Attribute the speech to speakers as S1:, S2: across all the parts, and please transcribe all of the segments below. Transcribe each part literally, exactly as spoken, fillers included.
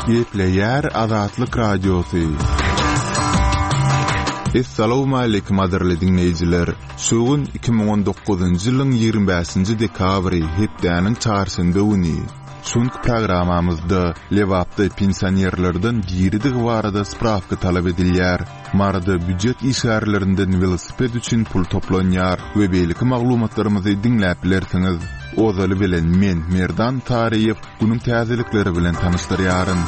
S1: Gepleýär Azatlyk Radiosy. Essalawmaleýkim gadyrly diňleýjiler! Şu gün iki müň on dokuzynjy ýylyň ýigrimi bäşinji dekabry, hepdäniň çarşenbe güni. Şu günki programmamyzda Lebapda pensionerlerden diridigi barada sprawka talap edilýär. Maryda býujet işgärlerinden welosiped üçin pul toplanýar we beýleki maglumatlarymyzy diňläp bilersiňiz. Ozaly bilen men, Merdan Taryýew, günüň täzelikleri bilen tanyşdyrýaryn.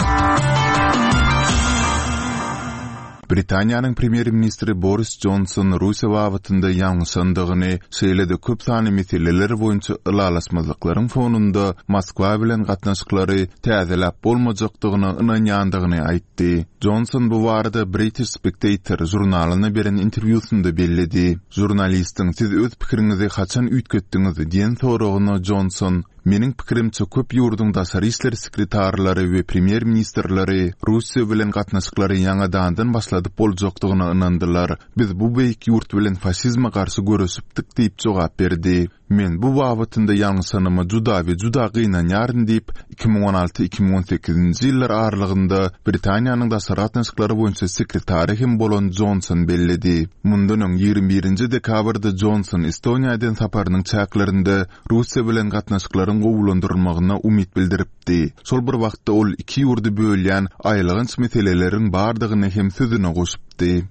S1: Britaniýanyň premýer-ministri Boris Jonson Russiýa babatynda ýalňyşandygyny, şeýle-de köp sanly meseleler boýunça ylalaşmazlyklaryň fonunda Moskwa bilen gatnaşyklary täzeläp bolmajakdygyna ynanýandygyny aýtdy. Jonson bu barada British Spectator žurnalyna beren interwýusynda belledi. Žurnalistiň Siz öz pikiriňizi haçan üýtgetdiňiz diýen soragyna Jonson, Meniň pikirimçe köp ýurduň daşary işler sekretarlary we premýer-ministrleri Russiýa bilen gatnaşyklary ýaňadandan başladyp boljakdygyna ynandylar. Biz bu beýik ýurt bilen faşizme garşy göreşipdik diýip jogap berdi. Men bu babatynda ýalňyşanyma juda we juda gynanýaryn diýip, iki müň on alty-iki müň on sekizinji ýyllar aralygynda Britaniýanyň daşary gatnaşyklary boýunça sekretary hem bolan Jonson belledi. Mundan öň ýigrimi birinji dekabrda Jonson Estoniýa eden saparynyň çäklerinde Russiýa bilen gatnaşyklaryň gowulandyrylmagyna umyt bildiripdi. Şol bir wagtda ol iki ýurdy bölýän aýylganç meseleleriň bardygyny hem sözüne goşupdy.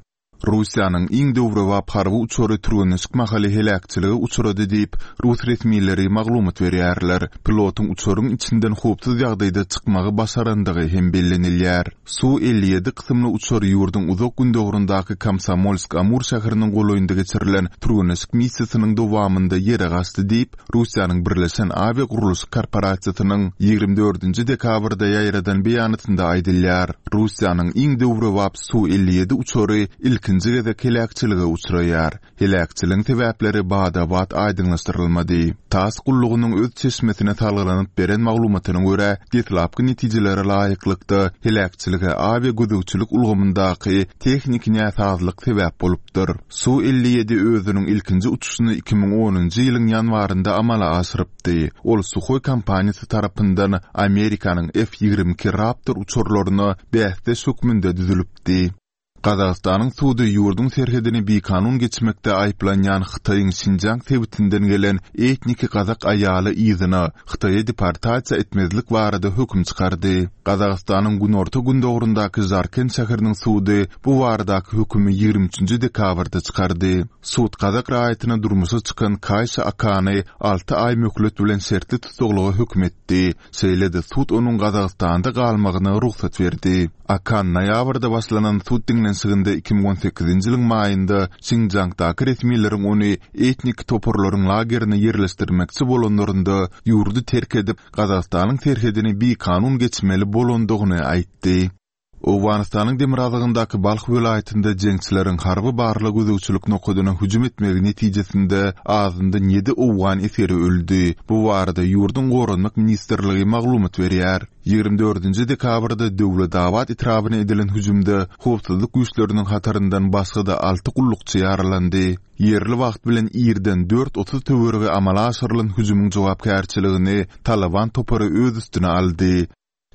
S1: Russiýanyň iň döwrebap harby uçary türgenleşik mahaly heläkçilige uçrady diýip, rus resmileri maglumat berýärler. Pilotyň uçaryň içinden howpsuz ýagdaýda çykmagy başarandygy hem bellenilýär. Su elli ýedi kysymly uçar ýurduň uzak gündogaryndaky Komsomolsk-Amur şäheriniň golaýynda geçirilen türgenleşik missiýasynyň dowamynda ýere gaçdy diýip, Russiýanyň Birleşen Awiýa gurluşyk korporasiýasynyň ýigrimi dördünji dekabrda ýaýradan beýanatynda aýdylýar. Russiýanyň iň döwrebap Su elli ýedi uçary ilkinji gezek heläkçilige uçraýar. Heläkçiligiň sebäpleri bada-bat aýdyňlaşdyrylmady. TASS gullugynyň öz çeşmesine salgylanyp beren maglumatyna görä, deslapky netijelere laýyklykda heläkçilige awiýa gözegçilik ulgamyndaky tehniki näsazlyk sebäp bolupdyr. Su elli ýedi özüniň ilkinji uçuşyny iki müň onunjy ýylyň ýanwarynda amala aşyrypdy. Ol Suhoý kompaniýasy tarapyndan Amerikanyň F ýigrimi iki Raptor uçarlaryna bäsdeş hökmünde düzülipdi. Gazagystanyň sudy ýurduň serhedini bikanun geçmekde aýyplanýan Hytaýyň Şinjiang sebitinden gelen etniki gazak aýaly yzyna Hytaýa deportasiýa etmezlik barada höküm çykardy. Gazagystanyň günorta-gündogaryndaky Žarkent şäheriniň sudy bu baradaky hökümi ýigrimi üçünji dekabrda çykardy. Sud gazak raýatyna durmuşa çykan Kaýşa Akany alty aý möhlet bilen şertli tussaglyga höküm etdi. Şeýle-de sud onuň Gazagystanda galmagyna rugsat berdi. Akan noýabrda başlanan sud diňlenişiginde iki müň on sekizinji ýylyň maýynda Şinjiangdaky resmileriň ony etnik toparlaryň lagerine ýerleşdirmekçi bolanlarynda ýurdy terk edip, Gazagystanyň serhedini bikanun geçmeli bolandygyny aýtdy. Owganystanyň demirgazygyndaky Balh welaýatynda jeňçileriň harby barlag gözegçilik nokadyna hüjüm etmegi netijesinde azyndan ýedi owgan esgeri öldi. Bu barada ýurduň Goranmak ministrligi maglumat berýär. Ýigrimi dördünji dekabrda Döwletabat etrabyna edilen hüjümde howpsuzlyk güýçleriniň hataryndan başga-da alty gullukçy ýaralandy. Ýerli wagt bilen irden dört otuz töweregi amala aşyrylan hüjümiň jogapkärçiligini Taliban topary öz üstüne aldy.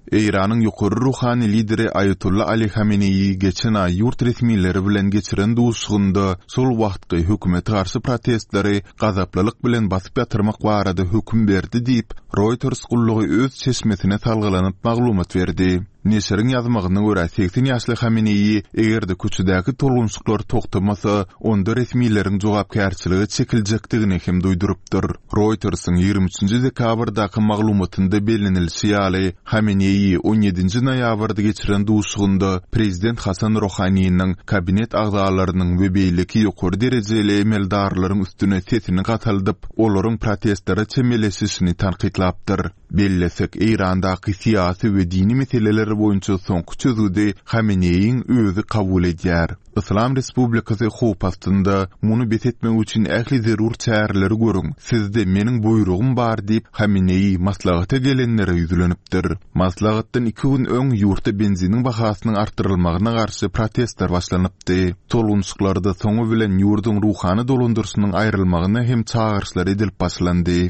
S1: Eýranyň ýokary ruhany lideri Aýatolla Ali Hameneýi geçen aý ýurt resmileri bilen geçiren duşuşygynda şol wagtky hökümete garşy protestleri gazaplylyk bilen basyp ýatyrmak barada höküm berdi diýip, Reuters gullugy öz çeşmesine salgylanyp maglumat berdi. Neşiriň ýazmagyna görä, segsen ýaşly Hameneýi eger-de köçedäki tolgunşyklar togtamasa, onda resmileriň jogapkärçilige çekiljekdigini hem duýdurypdyr. Reutersiň ýigrimi üçünji dekabrdaky maglumatynda bellenilişi ýaly, Hameneýi on ýedinji noýabrda geçiren duşuşygynda prezident Hasan Rohaniniň, kabinet agzalarynyň we beýleki ýokary derejeli emeldarlaryň üstüne sesini gataldyp, olaryň protestlere çemeleşişini tankytlapdyr. Bellesek, Eýrandaky syýasy we dini meseleler boýunça soňky çözgüdi Hameneýiň özi kabul edýär. Yslam Respublikasy howp astynda, muny bes etmek üçin ähli zerur çäreleri görüň, sizde meniň buýrugym bar diýip, Hameneýi maslahata gelenlere ýüzlenipdir. Maslahatdan iki gün öň ýurtda benziniň bahasynyň artdyrylmagyna garşy protestler başlanypdy. Tolgunşyklarda soňy bilen ýurduň ruhany dolandyryşynyň aýrylmagyna hem çagyryşlar edilip başlandy.